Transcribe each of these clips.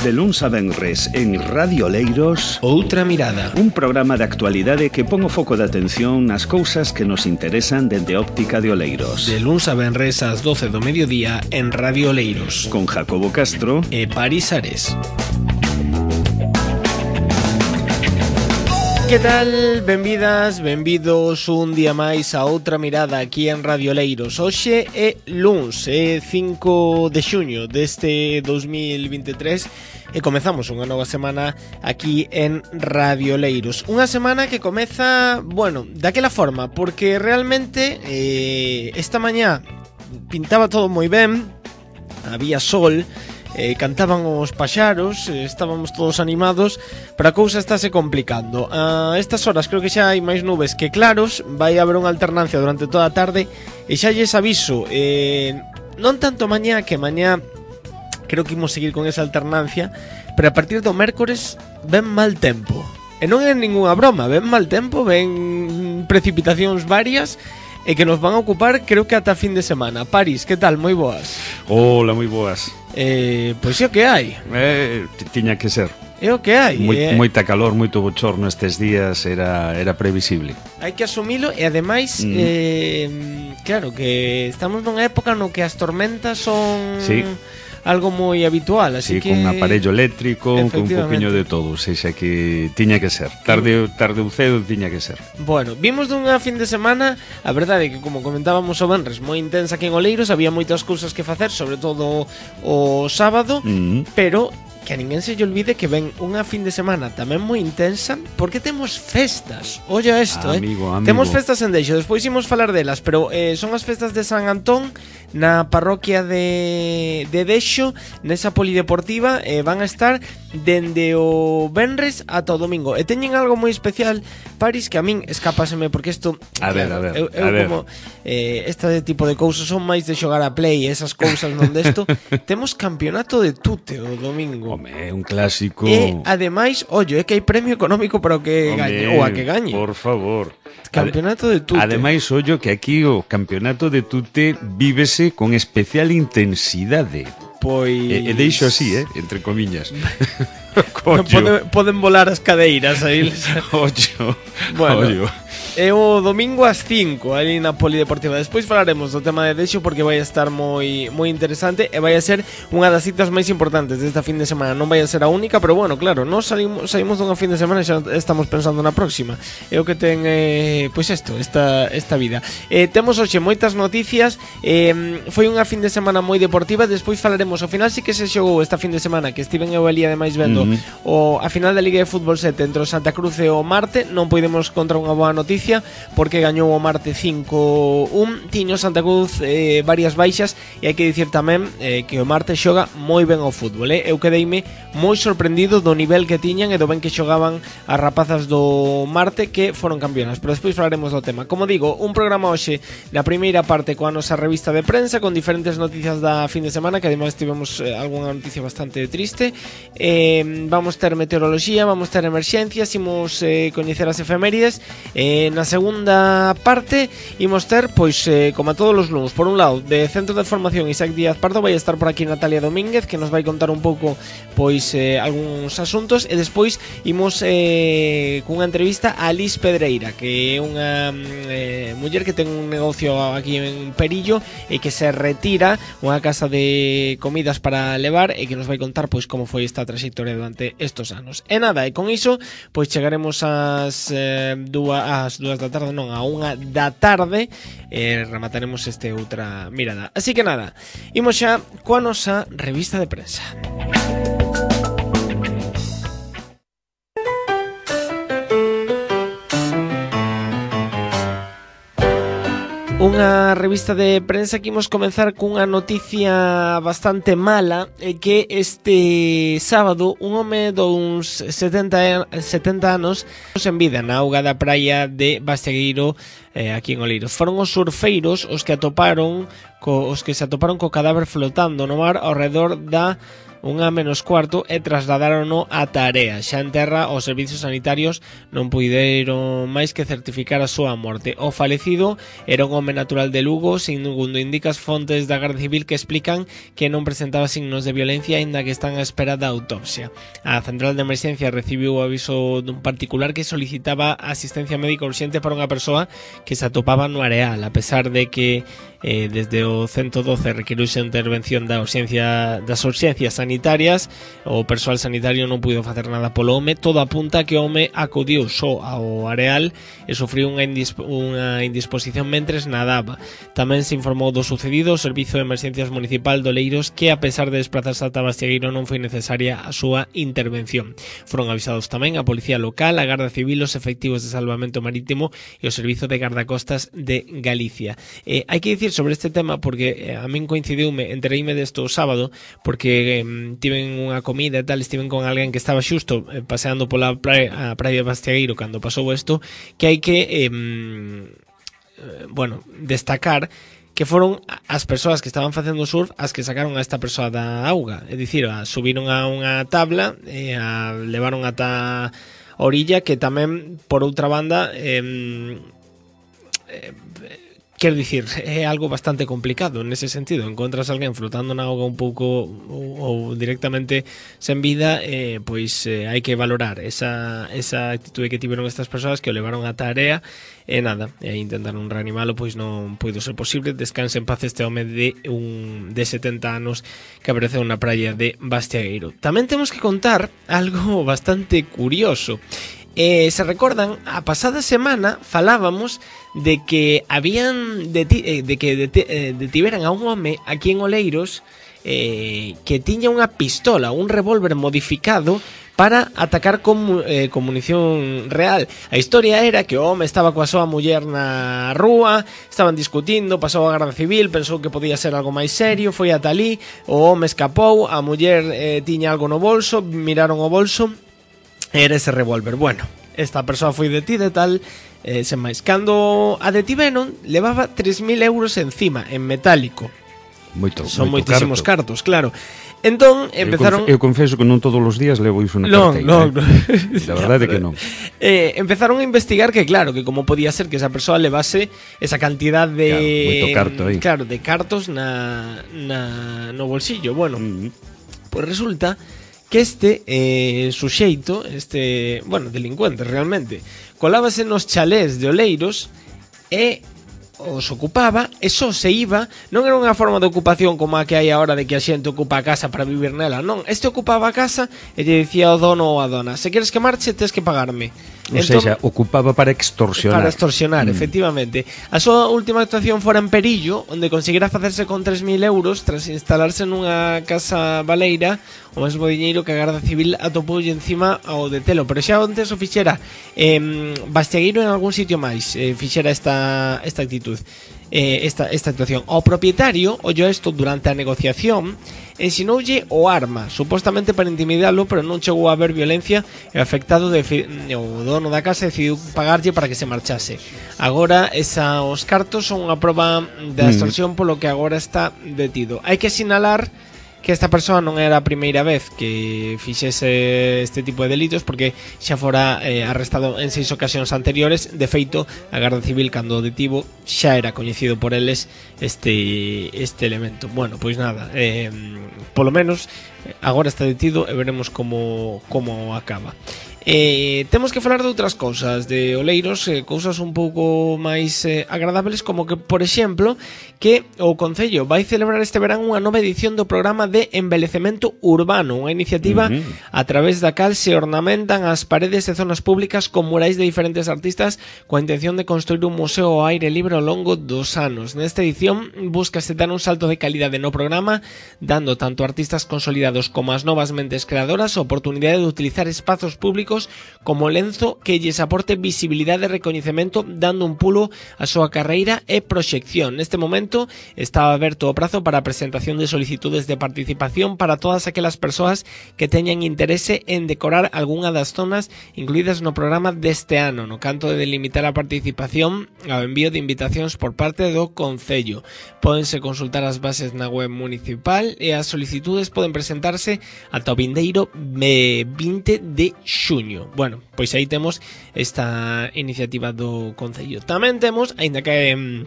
De luns a venres en Radio Oleiros, Outra Mirada, un programa de actualidade que pon o foco de atención nas cousas que nos interesan dende óptica de Oleiros. de luns a venres ás 12 do mediodía en Radio Oleiros, Con Jacobo Castro e Paris Ares. Que tal? Benvidas, benvidos un día máis a Outra Mirada aquí en Radio Oleiros. Hoxe é luns, é 5 de xuño deste 2023 e comezamos unha nova semana aquí en Radio Oleiros. Unha semana que comeza, bueno, daquela forma, porque realmente esta mañá pintaba todo moi ben, había sol, cantaban os paxaros, estábamos todos animados, pero a cousa estáse complicando. A estas horas creo que xa hai máis nubes que claros, vai haber unha alternancia durante toda a tarde e xa lles aviso, non tanto mañá, que mañá creo que imos seguir con esa alternancia, pero a partir do mércores ven mal tempo. E non é ningunha broma, ven mal tempo, ven precipitacións varias e que nos van a ocupar creo que ata fin de semana. Paris, que tal? Moi boas. Hola, moi boas. Pois é o que hai. Tiña que ser. É o que hai. Moita calor, moito bochorno estes días, era previsible. Hai que asumilo e ademais claro que estamos nunha época no que as tormentas son algo moi habitual, así que con aparello eléctrico, con un poquinho de todo, sexa que tiña que ser. Tarde ou cedo tiña que ser. Bueno, vimos dunha fin de semana, a verdade é que como comentábamos o venres, moi intensa aquí en Oleiros, había moitas cousas que facer, sobre todo o sábado, pero que a ninguén se lle olvide que ven unha fin de semana tamén moi intensa, porque temos festas. Olla isto, amigo. Temos festas en Deixo, despois imos falar delas, pero son as festas de San Antón na parroquia de Deixo, nesa polideportiva, van a estar dende o venres ata o domingo. E teñen algo moi especial, Paris, que a min escapáseme, porque isto a ver. como este tipo de cousas son máis de xogar a play, esas cousas non desto. Temos campeonato de tute o domingo. Home, un clásico. E ademais, ollo, é que hai premio económico para o que gañe, ou a que gañe. Por favor. Campeonato de tute. Ademais, ollo, que aquí o campeonato de tute vívese con especial intensidade. Pois... E deixo así, entre comiñas. Poden volar as cadeiras aí. Ollo. Bueno, ollo. É o domingo ás 5 ali na polideportiva. Despois falaremos do tema de Deixo, porque vai a estar moi interesante e vai a ser unha das citas máis importantes desta fin de semana. Non vai a ser a única, pero bueno, claro, nós saímos dunha fin de semana e xa estamos pensando na próxima. É o que ten, pois isto, esta vida. Temos hoxe moitas noticias. Foi unha fin de semana moi deportiva. Despois falaremos, ao final sí que se xogou esta fin de semana, que estiven eu ali ademais vendo a final da Liga de Fútbol 7 entre o Santa Cruz e o Marte. Non podemos contra unha boa noticia, porque gañou o Marte 5-1. Tiño Santa Cruz varias baixas, e hai que dicir tamén que o Marte xoga moi ben ao fútbol. Eu quedeime moi sorprendido do nivel que tiñan e do ben que xogaban as rapazas do Marte, que foron campeonas, pero despois falaremos do tema. Como digo, un programa hoxe na primeira parte coa nosa revista de prensa, con diferentes noticias da fin de semana, que ademais tivemos algunha noticia bastante triste. Vamos ter meteoroloxía, vamos ter emerxencias, imos coñecer as efemérides. Na segunda parte imos ter, pois, como a todos os luns, por un lado, de Centro de Formación Isaac Díaz Pardo, vai estar por aquí Natalia Domínguez, que nos vai contar un pouco, pois, algúns asuntos, e despois imos cunha entrevista a Liz Pedreira, que é unha muller que ten un negocio aquí en Perillo e que se retira, unha casa de comidas para levar, e que nos vai contar, pois, como foi esta trayectoria durante estos anos. E nada, e con iso, pois, chegaremos ás 2 da tarde, non, a 1 da tarde, remataremos este Outra Mirada. Así que nada, imos xa coa nosa revista de prensa. Unha revista de prensa que imos comenzar cunha noticia bastante mala, que este sábado un home duns 70 anos en vida na auga da praia de Bastegueiro, aquí en Oleiros. Foron os surfeiros os que se atoparon co cadáver flotando no mar ao redor da 1:15 e trasladárono a Tarea. Xa en terra, os servizos sanitarios non puideron máis que certificar a súa morte. O falecido era un home natural de Lugo, segundo indica as fontes da Garda Civil, que explican que non presentaba signos de violencia, aínda que están á espera da autopsia. A central de emerxencia recibiu o aviso dun particular que solicitaba asistencia médica urxente para unha persoa que se atopaba no areal, a pesar de que desde o 112 requiriuse a intervención das urxencias sanitarias. O persoal sanitario non puido facer nada polo home. Todo apunta que o home acudiu só ao areal e sufriu unha indisposición mentres nadaba. Tamén se informou do sucedido o Servizo de Emerxencias Municipal de Oleiros, que a pesar de desplazarse ata Bastiagueiro non foi necesaria a súa intervención. Foron avisados tamén a Policía Local, a Garda Civil, os efectivos de Salvamento Marítimo e o Servizo de Gardacostas de Galicia. Hai que dicir sobre este tema porque a min coincidiume, entereime desto o sábado porque tiven unha comida e tal, estiven con alguén que estaba xusto paseando pola praia de Bastiagueiro cando pasou isto, que hai que destacar que foron as persoas que estaban facendo surf as que sacaron a esta persoa da auga, é dicir, subiron a unha tabla e a levaron ata a orilla, que tamén, por outra banda, quero dicir, é algo bastante complicado nese sentido. Encontras alguén flotando na auga un pouco ou directamente sen vida, pois hai que valorar esa actitude que tiveron estas persoas, que o levaron a Tarea e nada, intentaron reanimalo, pois non puido ser posible. Descanse en paz este home de 70 anos que apareceu na praia de Bastiagueiro. Tamén temos que contar algo bastante curioso. Se recordan, a pasada semana falábamos de que detiveran a un home aquí en Oleiros que tiña unha pistola, un revólver modificado para atacar con munición real. A historia era que o home estaba coa súa muller na rúa, estaban discutindo, pasou a Garda Civil, pensou que podía ser algo máis serio, foi ata ali, o home escapou, a muller tiña algo no bolso, miraron o bolso, era ese revólver. Bueno, esta persoa foi detida e tal, sen máis. Cando a detiveron, levaba 3.000 euros encima, en metálico. Son moitísimos cartos, claro. Entón, empezaron... Eu confeso que non todos os días levo iso na carteira. Non. La verdade é que non. Empezaron a investigar que, claro, que como podía ser que esa persoa levase esa cantidad de... Claro, moito carto aí. Claro, de cartos no bolsillo. Bueno, pois resulta que este suxeito, delincuente realmente, colábase nos chalés de Oleiros e os ocupaba e só se iba. Non era unha forma de ocupación como a que hai agora, de que a xente ocupa a casa para vivir nela. Non, este ocupaba a casa e lle dicía ao dono ou a dona: se queres que marche, tes que pagarme. Ou seja, ocupaba para extorsionar. Para extorsionar, efectivamente. A súa última actuación fora en Perillo, onde conseguira facerse con 3.000 euros tras instalarse nunha casa baleira, o mesmo diñeiro que a Garda Civil atopoulle encima ao detelo. Pero xa antes o fixera Bastiagueiro en algún sitio máis, fixera esta actitud, esta actuación. O propietario ollou isto durante a negociación, ensinoulle o arma, supostamente para intimidalo, pero non chegou a haber violencia e o afectado, o dono da casa, decidiu pagarlle para que se marchase. Agora, os cartos son unha proba de extorsión, polo que agora está detido. Hai que sinalar que esta persoa non era a primeira vez que fixese este tipo de delitos, porque xa fora arrestado en 6 ocasións anteriores. De feito, a Garda Civil, cando o detivo, xa era coñecido por eles este elemento. Bueno, pois nada, polo menos agora está detido e veremos como acaba. Temos que falar de outras cousas de Oleiros, cousas un pouco máis agradables, como que, por exemplo, que o Concello vai celebrar este verán unha nova edición do programa de embelecemento urbano, unha iniciativa a través da cal se ornamentan as paredes de zonas públicas con murais de diferentes artistas, coa intención de construir un museo ao aire libre ao longo dos anos. Nesta edición búscase dar un salto de calidade no programa, dando tanto a artistas consolidados como as novas mentes creadoras a oportunidade de utilizar espazos públicos públicos como lenzo que lles aporte visibilidade e recoñecemento, dando un pulo a súa carreira e proxección. Neste momento está aberto o prazo para a presentación de solicitudes de participación para todas aquelas persoas que teñan interese en decorar algunha das zonas incluídas no programa deste ano, no canto de delimitar a participación ao envío de invitacións por parte do Concello. Pódense consultar as bases na web municipal e as solicitudes poden presentarse ata o vindeiro 20 de xuño. Bueno, pois aí temos esta iniciativa do Concello. Tamén temos, aínda que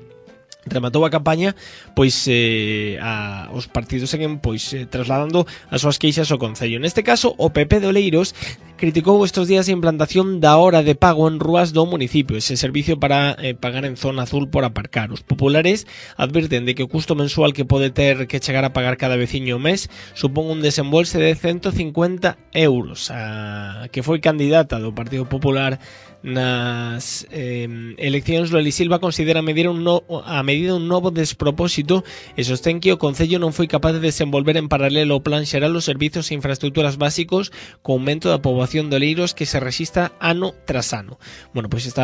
rematou a campaña, pois os partidos seguen trasladando as súas queixas ao Concello. Neste caso, o PP de Oleiros criticou estes días a implantación da hora de pago en rúas do municipio, ese servicio para pagar en zona azul por aparcar. Os populares advirten de que o custo mensual que pode ter que chegar a pagar cada veciño ao mes supón un desembolse de 150 euros. A que foi candidata do Partido Popular nas eleccións, Loli Silva considera a medida un novo despropósito e sostén que o Concello non foi capaz de desenvolver en paralelo o Plan Xeral os servizos e infraestructuras básicos co aumento da poboación de Oleiros que se rexistra ano tras ano. Bueno, pois isto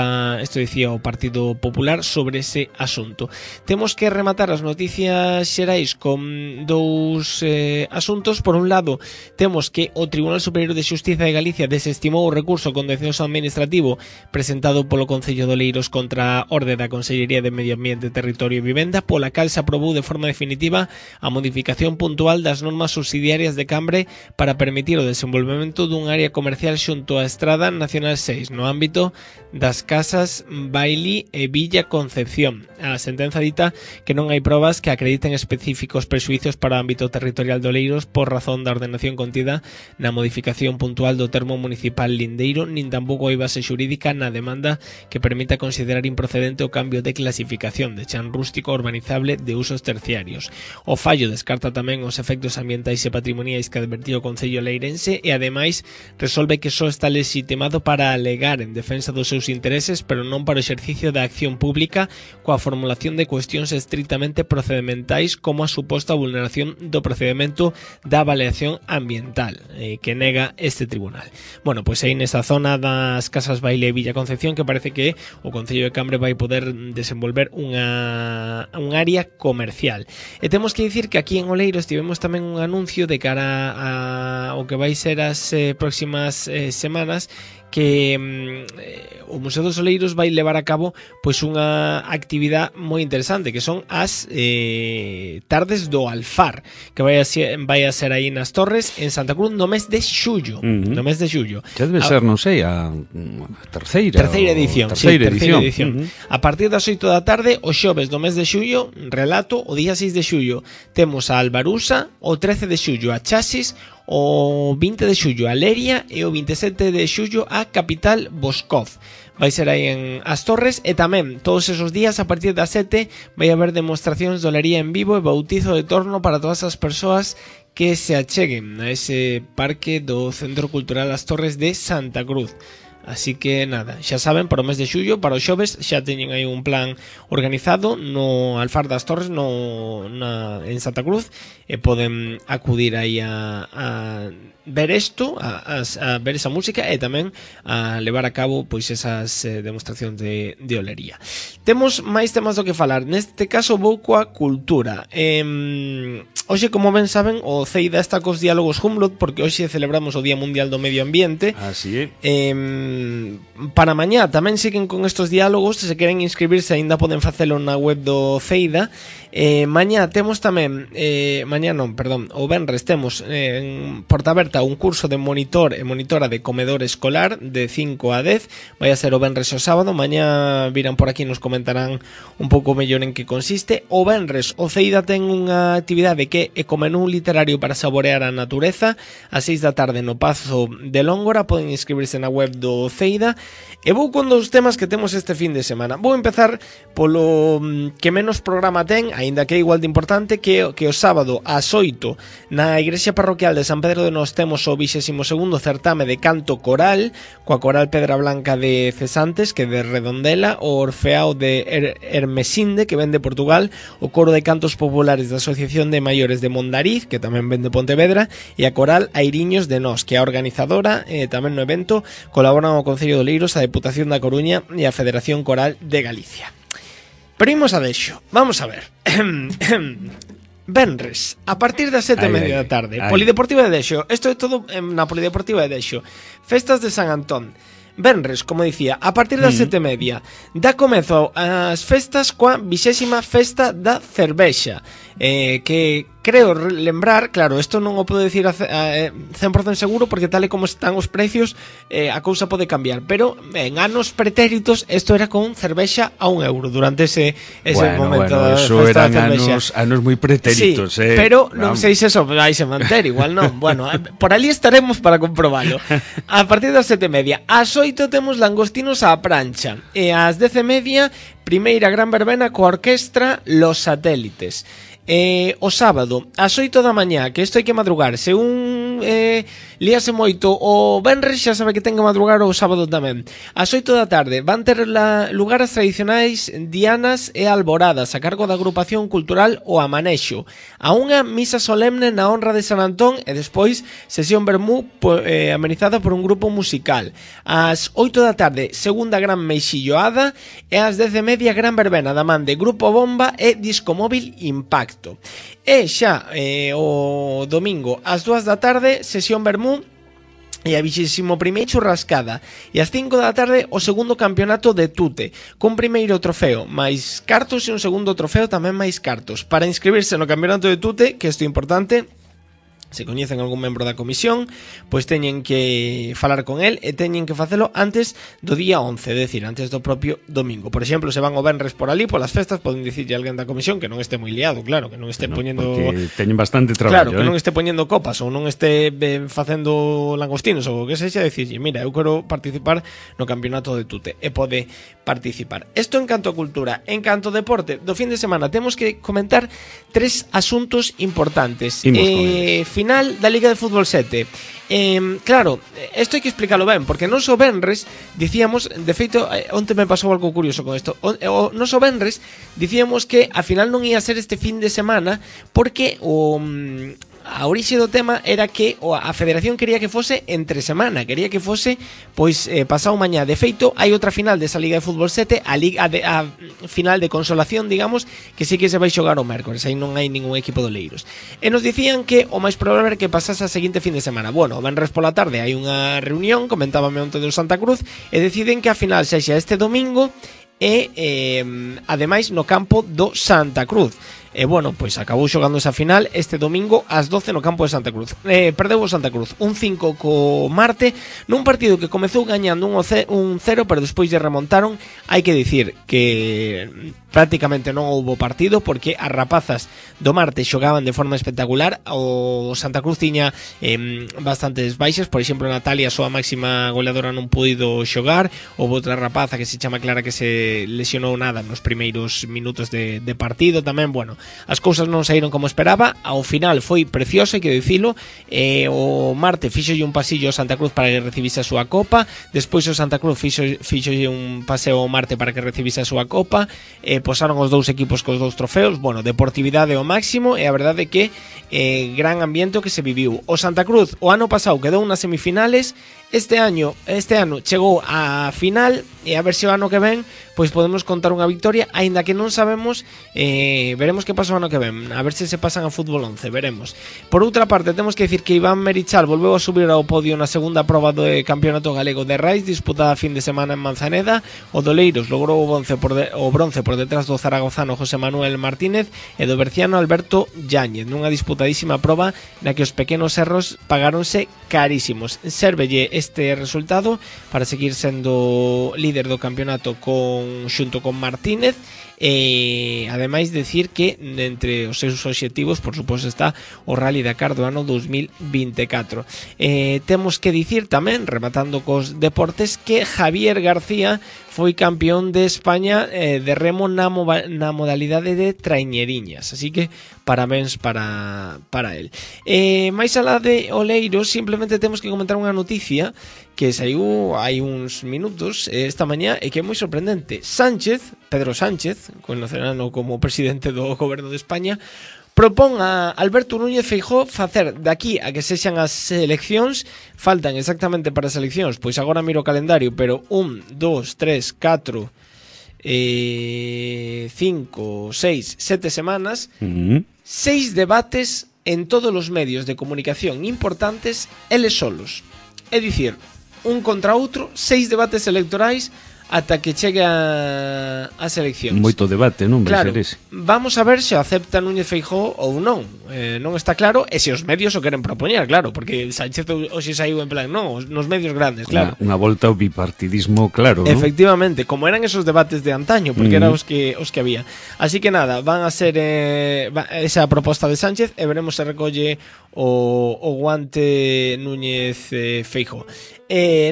dicía o Partido Popular sobre ese asunto. Temos que rematar as noticias xerais con dous asuntos. Por un lado, temos que o Tribunal Superior de Xustiza de Galicia desestimou o recurso contencioso administrativo presentado polo Concello de Oleiros contra a orde da Consellería de Medio Ambiente, Territorio e Vivenda, pola cal se aprobou de forma definitiva a modificación puntual das normas subsidiarias de Cambre para permitir o desenvolvemento dun área comercial xunto á Estrada Nacional 6 no ámbito das casas Bailí e Villa Concepción. A sentenza dita que non hai probas que acrediten específicos prexuicios para o ámbito territorial de Oleiros por razón da ordenación contida na modificación puntual do termo municipal lindeiro, nin tampouco hai base xurídica na demanda que permita considerar improcedente o cambio de clasificación de chan rústico urbanizable de usos terciarios. O fallo descarta tamén os efectos ambientais e patrimoniais que advertiu o Concello leirense e ademais resolve que só está legitimado para alegar en defensa dos seus intereses, pero non para o exercicio da acción pública coa formulación de cuestións estritamente procedementais como a suposta vulneración do procedimento da avaliación ambiental que nega este tribunal. Bueno, pois aí nesa zona das casas Baile e Villa Concepción que parece que o Concello de Cambre vai poder desenvolver un área comercial. E temos que dicir que aquí en Oleiros tivemos tamén un anuncio de cara ao que vai ser as próximas semanas, que o Museo dos Oleiros vai levar a cabo pois unha actividade moi interesante, que son as tardes do Alfar, que vai a ser aí nas Torres en Santa Cruz no mes de xullo. No mes de xullo. Xa debe ser, non sei, a terceira edición. A partir das 8 da tarde, o xoves do mes de xullo, relato, o día 6 de xullo temos a Albarusa, o 13 de xullo a Chasis, o 20 de xullo a Leria e o 27 de xullo a Capital Boscoz. Vai ser aí en As Torres e tamén todos esos días a partir das 7 vai haber demostracións de olería en vivo e bautizo de torno para todas as persoas que se acheguen a ese parque do Centro Cultural As Torres de Santa Cruz. Así que nada, xa saben, para o mes de xullo, para os xoves xa teñen aí un plan organizado no Alfar das Torres en Santa Cruz e poden acudir aí a ver isto, a ver esa música e tamén a levar a cabo pois esas demostracións de olería. Temos máis temas do que falar. Neste caso vou coa cultura. Hoxe, como ben saben, o CEIDA está cos diálogos Humboldt porque hoxe celebramos o Día Mundial do Medio Ambiente. Así é. Para mañá tamén siguen con estos diálogos. Se queren inscribirse aínda poden facelo na web do CEIDA. Mañá temos tamén o venres temos en Portaberta un curso de monitor e monitora de comedor escolar de 5 a 10. Vai a ser o venres e o sábado. Mañá virán por aquí e nos comentarán un pouco mellor en que consiste. O venres o CEIDA ten unha actividade que é como menú literario para saborear a natureza a 6 da tarde no Pazo de Lóngora. Poden inscribirse na web do CEIDA. E vou con dos temas que temos este fin de semana. Vou empezar polo que menos programa ten, aínda que é igual de importante, que o sábado ás 8 na Igrexa Parroquial de San Pedro de Nós temos o 22º certame de canto coral coa Coral Pedra Blanca de Cesantes, que de Redondela, o Orfeao de Hermesinde, que ven de Portugal, o Coro de Cantos Populares da Asociación de Maiores Maiores de Mondariz, que tamén ven de Pontevedra, e a Coral Airiños de Nós, que é a organizadora. Tamén no evento colaboran o Concello de Oleiros, a Deputación da Coruña e a Federación Coral de Galicia. Pero imos a Dexo, vamos a ver. Venres, a partir das 7:30 da tarde, Polideportiva de Dexo. Isto é todo na Polideportiva de Dexo. Festas de San Antón. Venres, como dicía, a partir das 7:30 dá comezo as festas coa 20ª festa da cervexa, que creo lembrar, claro, isto non o podo decir a 100% seguro porque tal e como están os precios a cousa pode cambiar, pero en anos pretéritos isto era con cervexa a €1 durante ese momento da festa da cervexa. Anos moi pretéritos, sí, pero non sei se eso vai se manter, igual non. Bueno, por ali estaremos para comprobalo. A partir das 7:30, ás 8 temos langostinos á prancha e ás 10:30 primeira gran verbena coa orquestra Los Satélites. O sábado, ás 8 da mañá, que isto hai que madrugar. Se un líase moito o venres, xa sabe que ten que madrugar o sábado tamén. Ás 8 da tarde van ter lugar as tradicionais dianas e alboradas a cargo da agrupación cultural O Amanexo. A unha misa solemne na honra de San Antón e despois sesión vermú amenizada por un grupo musical. Ás 8 da tarde, segunda gran meixilloada e ás 10:30 gran verbena da man de Grupo Bomba e Disco Móvil Impact. E xa o domingo ás 2 da tarde sesión vermú e a 21ª churrascada e ás 5 da tarde o segundo campeonato de Tute cun primeiro trofeo máis cartos e un segundo trofeo tamén máis cartos. Para inscribirse no campeonato de Tute, que isto é importante, se coñecen algún membro da comisión, pois teñen que falar con el e teñen que facelo antes do día 11, é dicir, antes do propio domingo. Por exemplo, se van o venres por ali, polas festas, poden dicirlle a alguén da comisión que non este moi liado, claro, que non este poñendo... Porque teñen bastante traballo, claro, que non este poñendo copas ou non este facendo langostinos ou o que sexa, dicirlle, mira, eu quero participar no campeonato de Tute e pode participar. Isto en canto a cultura. En canto a deporte, do fin de semana temos que comentar 3 asuntos importantes. Final da Liga de Fútbol 7. Claro, isto hai que explicarlo ben, porque non só venres dicíamos, de feito, onte me pasou algo curioso con isto. Non só venres dicíamos que a final non ia ser este fin de semana porque a orixe do tema era que a Federación quería que fose entre semana, quería que fose pois pasado mañá. De feito, hai outra final desa Liga de Fútbol 7, a final de consolación, digamos, que sí que se vai xogar o mércores, aí non hai ningún equipo de Oleiros. E nos dicían que o máis probable era que pasase a seguinte fin de semana. Bueno, o venres pola tarde hai unha reunión, comentábame onte do Santa Cruz, e deciden que a final sexa este domingo e ademais no campo do Santa Cruz. E bueno, pois acabou xogando esa final este domingo ás 12 no campo de Santa Cruz. Perdeu o Santa Cruz 1-5 co Marte nun partido que comezou gañando 1-0, pero despois lle remontaron. Hai que dicir que prácticamente non houbo partido porque as rapazas do Marte xogaban de forma espectacular. O Santa Cruz tiña bastantes baixas, por exemplo Natalia, a súa máxima goleadora, non puido xogar. Houve outra rapaza que se chama Clara que se lesionou nada nos primeiros minutos de partido tamén. Bueno, as cousas non saíron como esperaba. Ao final foi precioso, hai que dicilo. O Marte fixolle un pasillo ao Santa Cruz para que recibise a súa copa. Despois o Santa Cruz fixolle un paseo ao Marte para que recibise a súa copa. Posaron os dous equipos cos dous trofeos. Bueno, deportividade ao máximo. E a verdade é que gran ambiente que se viviu. O Santa Cruz o ano pasado quedou nas semifinales. Este ano chegou á final e a ver se o ano que ven pois podemos contar unha victoria, aínda que non sabemos, veremos que pasa o ano que ven, a ver se pasan a fútbol 11, veremos. Por outra parte, temos que dicir que Iván Merichal volveu a subir ao podio na segunda proba do Campeonato Galego de Raids disputada a fin de semana en Manzaneda. O Doleiros logrou o bronce por detrás do zaragozano José Manuel Martínez e do berciano Alberto Yáñez, nunha disputadísima proba na que os pequenos erros pagáronse carísimos. Sérvelle este resultado para seguir sendo líder do campeonato xunto con Martínez. E ademais decir que entre os seus obxectivos, por suposto, está o Rally Dakar do ano 2024. Temos que dicir tamén, rematando cos deportes, que Javier García foi campeón de España de remo na modalidade de traiñeriñas, así que parabéns para el. Mais alá de Oleiros, simplemente temos que comentar unha noticia que saiu hai uns minutos esta mañá e que é moi sorprendente. Pedro Sánchez, conocerán como presidente do goberno de España, propón a Alberto Núñez Feijóo facer daqui a que sexan as eleccións, faltan exactamente para as eleccións, pois agora miro o calendario, pero 1, 2, 3, 4, 5, 6, 7 semanas, 6 debates en todos os medios de comunicación importantes, eles solos. É dicir, un contra outro, 6 debates electorais ata que chegue as eleccións. Moito debate, non? Claro, vamos a ver se acepta Núñez Feijóo ou non. Non está claro, e se os medios o queren propoñer, claro, porque Sánchez hoxe saiu en plan, non, nos medios grandes, claro. Unha volta ao bipartidismo, claro, non? Efectivamente, como eran esos debates de antaño, porque eran os que había. Así que nada, van a ser esa proposta de Sánchez e veremos se recolle o guante Núñez Feijóo.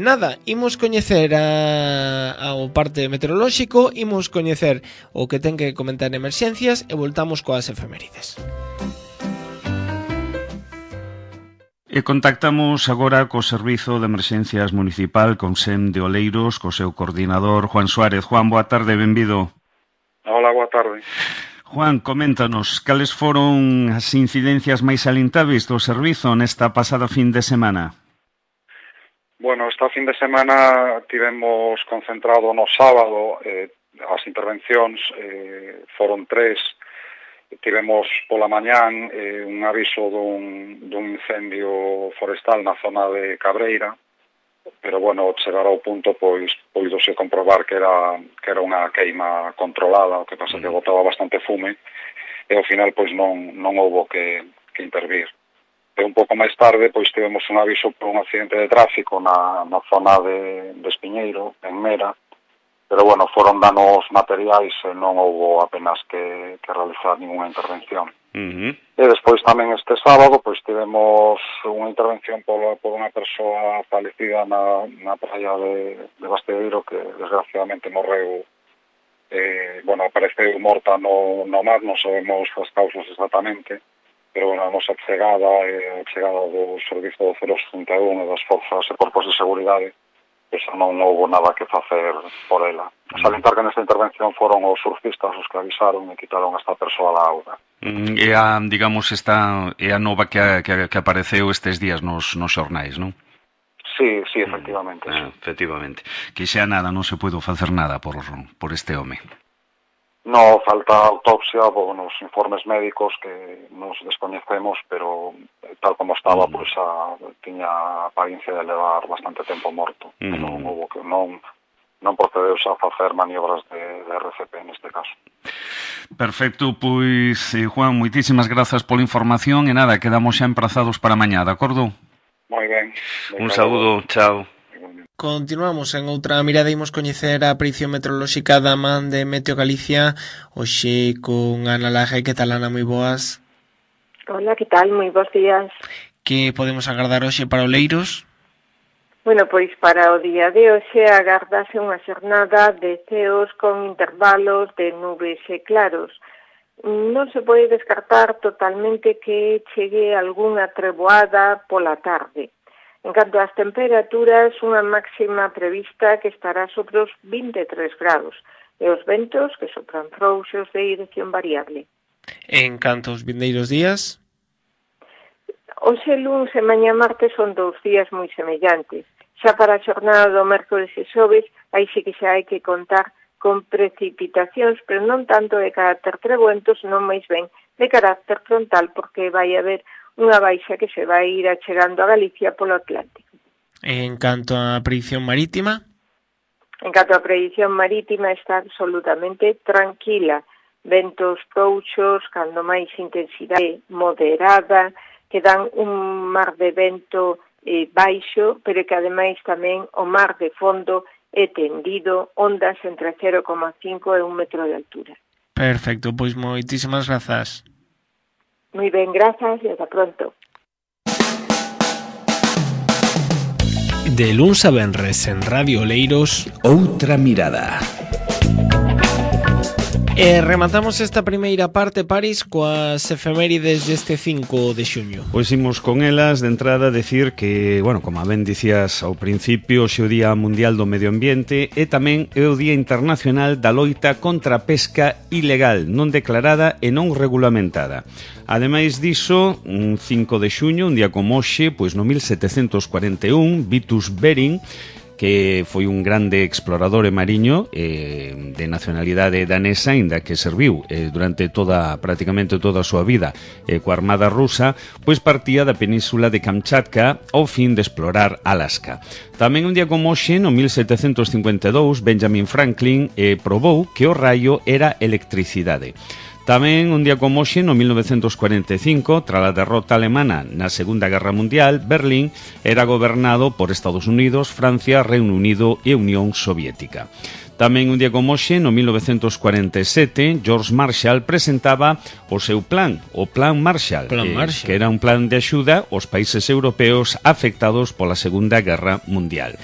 Nada, imos coñecer ao parte meteorolóxico, imos coñecer o que ten que comentar en emerxencias e voltamos coas efemérides. E contactamos agora co Servizo de Emerxencias Municipal con SEM de Oleiros, co seu coordinador Juan Suárez. Juan, boa tarde, benvido. Hola, boa tarde. Juan, coméntanos, cales foron as incidencias máis salientáveis do servizo nesta pasada fin de semana? Bueno, esta fin de semana tivemos concentrado no sábado, as intervencións foron 3. Tivemos pola mañán un aviso dun incendio forestal na zona de Cabreira, pero bueno, chegar ao punto pois puidose comprobar que era unha queima controlada, o que pasa que botaba bastante fume, e ao final pois non houbo que intervir. E un pouco máis tarde pois tivemos un aviso por un accidente de tráfico na zona de Espiñeiro, en Mera, pero bueno, foron danos materiais e non houbo apenas que realizar ninguna intervención. E despois tamén este sábado pois tivemos unha intervención por unha persoa falecida na praia de Bastedeiro, que desgraciadamente morreu, bueno, apareceu morta no mar, non sabemos as causas exactamente, pero bueno, a nosa chegada do servizo do 061 e das forzas e corpos de seguridade, pois non houbo nada que facer por ela. Salientar que nesta intervención foron os surfistas os que avisaron e quitaron esta persoa da auga. É a nova que apareceu estes días nos xornais, non? Sí, efectivamente. Efectivamente. Que xa nada, non se puido facer nada por este home. No, falta autopsia, nos informes médicos que nos descoñecemos, pero tal como estaba, pois tiña apariencia de levar bastante tempo morto. Non procedeuse a facer maniobras de RCP neste caso. Perfecto, pois, Juan, moitísimas grazas pola información e nada, quedamos xa emprazados para mañá, de acordo? Moi ben. Un saúdo, chao. Continuamos en outra mirada, imos coñecer a predicción meteorolóxica da man de Meteo Galicia, hoxe con Ana Laje. Que tal, Ana? Moi boas. Hola, que tal? Moi bons días. Que podemos agardar hoxe para Oleiros? Bueno, pois para o día de hoxe agardase unha xornada de ceos con intervalos de nubes e claros. Non se pode descartar totalmente que chegue algunha treboada pola tarde. En canto ás temperaturas, unha máxima prevista que estará sobre os 23 grados e os ventos que sopran frouxos de dirección variable. En canto aos vindeiros días? Hoxe luns e mañá martes son 2 días moi semellantes. Xa para a xornada do mércores e xoves, aí sí que xa hai que contar con precipitacións, pero non tanto de carácter trebuentos, non máis ben de carácter frontal, porque vai haber unha baixa que se vai ir achegando a Galicia polo Atlántico. En canto á predicción marítima? En canto á predicción marítima está absolutamente tranquila. Ventos frouxos, cando máis intensidade moderada, que dan un mar de vento baixo, pero que ademais tamén o mar de fondo é tendido, ondas entre 0,5 e 1 metro de altura. Perfecto, pois moitísimas grazas. Moi ben, grazas e ata pronto. De luns a venres en Radio Oleiros, Outra mirada. Rematamos esta primeira parte, Paris, coas efemérides deste 5 de xuño. Pois imos con elas de entrada decir que, bueno, como ben dicías ao principio, hoxe o Día Mundial do Medio Ambiente e tamén é o Día Internacional da Loita contra a pesca ilegal, non declarada e non regulamentada. Ademais diso, un 5 de xuño, un día como hoxe, pois no 1741, Vitus Bering, que foi un grande explorador e mariño de nacionalidade danesa, inda que serviu durante prácticamente toda a súa vida coa armada rusa, pois partía da península de Kamchatka ao fin de explorar Alaska. Tamén un día como hoxe, no 1752, Benjamin Franklin probou que o raio era electricidade. Tamén un día como hoxe, no 1945, tras a derrota alemana na Segunda Guerra Mundial, Berlín era gobernado por Estados Unidos, Francia, Reino Unido e Unión Soviética. Tamén un día como hoxe, no 1947, George Marshall presentaba o seu plan, o Plan Marshall, que era un plan de axuda aos países europeos afectados pola Segunda Guerra Mundial.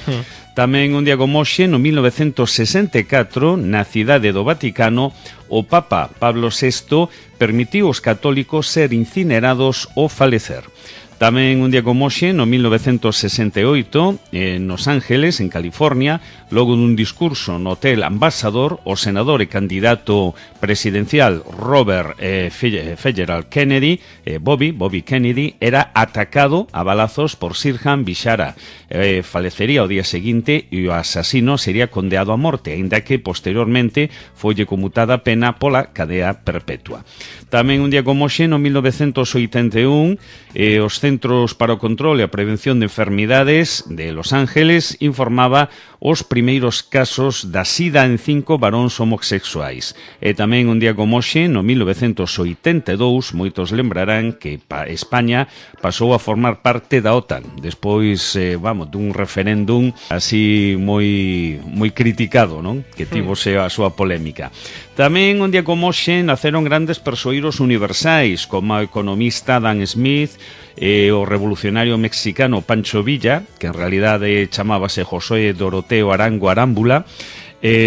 Tamén un día como hoxe, no 1964, na cidade do Vaticano, o Papa Pablo VI permitiu aos católicos ser incinerados ou falecer. Tamén un día como hoxe, no 1968, en Los Ángeles, en California, logo dun discurso no Hotel Ambassador, o senador e candidato presidencial Robert Fitzgerald Kennedy, Bobby Kennedy, era atacado a balazos por Sirhan Bishara. Falecería o día seguinte e o asasino sería condeado a morte, aínda que posteriormente folle conmutada a pena pola cadea perpetua. Tamén un día como hoxe, no 1981, os Centros para o Control e a Prevención de Enfermidades de Los Ángeles informaba os primeiros casos da sida en 5 varóns homosexuais. E tamén un día como hoxe, no 1982, moitos lembrarán que España pasou a formar parte da OTAN, despois, dun referéndum así moi criticado, non? Que tivose a súa polémica. Tamén un día como hoxe naceron grandes persoeiros universais, como o economista Dan Smith, o revolucionario mexicano Pancho Villa, que en realidade chamábase José Doroteo Arango Arámbula.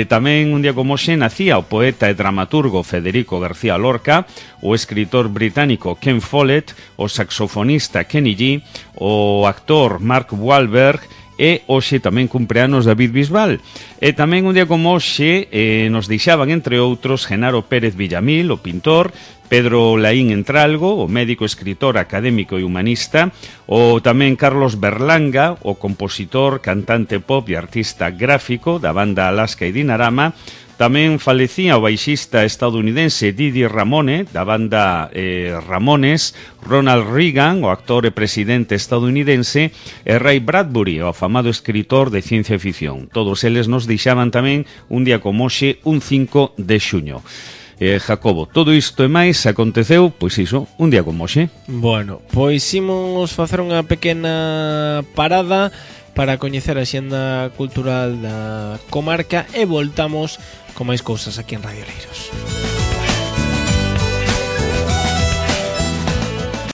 Tamén un día como hoxe nacía o poeta e dramaturgo Federico García Lorca, o escritor británico Ken Follett, o saxofonista Kenny G, o actor Mark Wahlberg, e hoxe tamén cumpleanos David Bisbal. E tamén un día como hoxe nos deixaban, entre outros, Genaro Pérez Villamil, o pintor, Pedro Laín Entralgo, o médico, escritor, académico e humanista, o tamén Carlos Berlanga, o compositor, cantante pop e artista gráfico da banda Alaska e Dinarama. Tamén falecía o baixista estadounidense Didi Ramone, da banda Ramones, Ronald Reagan, o actor e presidente estadounidense, e Ray Bradbury, o afamado escritor de ciencia ficción. Todos eles nos deixaban tamén un día como hoxe, un 5 de xuño. Jacobo, todo isto e máis aconteceu, pois iso, un día como hoxe. Bueno, pois imos facer unha pequena parada para coñecer a xenda cultural da comarca e voltamos con máis cousas aquí en Radio Oleiros.